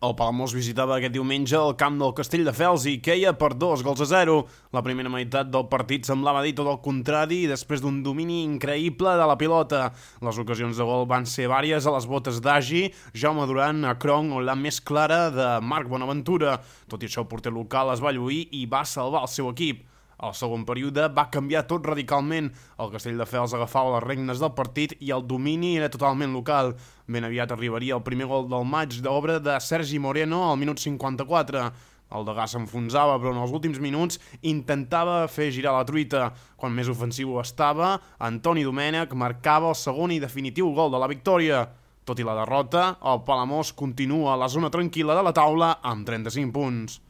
El Palamós visitava aquest diumenge el camp del Castelldefels i queia per 2-0. La primera meitat del partit semblava dir tot el contrari i després d'un domini increïble de la pilota. Les ocasions de gol van ser vàries a les botes d'Agi, Jaume Duran, a Cronk o la més clara de Marc Bonaventura. Tot i això, el porter local es va lluir i va salvar el seu equip. El segon període va canviar tot radicalment. El Castelldefels agafava les regnes del partit i el domini era totalment local. Ben aviat arribaria el primer gol del maig d'obra de Sergi Moreno al minut 54. El degà s'enfonsava, però en els últims minuts intentava fer girar la truita. Quan més ofensiu estava, Antoni Domènech marcava el segon i definitiu gol de la victòria. Tot i la derrota, el Palamós continua a la zona tranquil·la de la taula amb 35 punts.